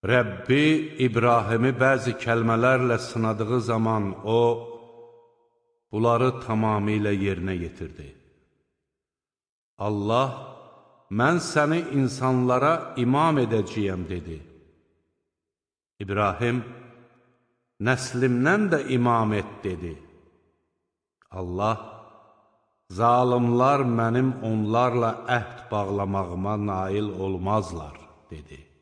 Rəbbi İbrahimi bəzi kəlmələrlə sınadığı zaman o, bunları tamamilə yerinə yetirdi. Allah, mən səni insanlara imam edəcəyəm, dedi. İbrahim, nəslimdən də imam et, dedi. Allah, zalimlar mənim onlarla əhd bağlamağıma nail olmazlar, dedi.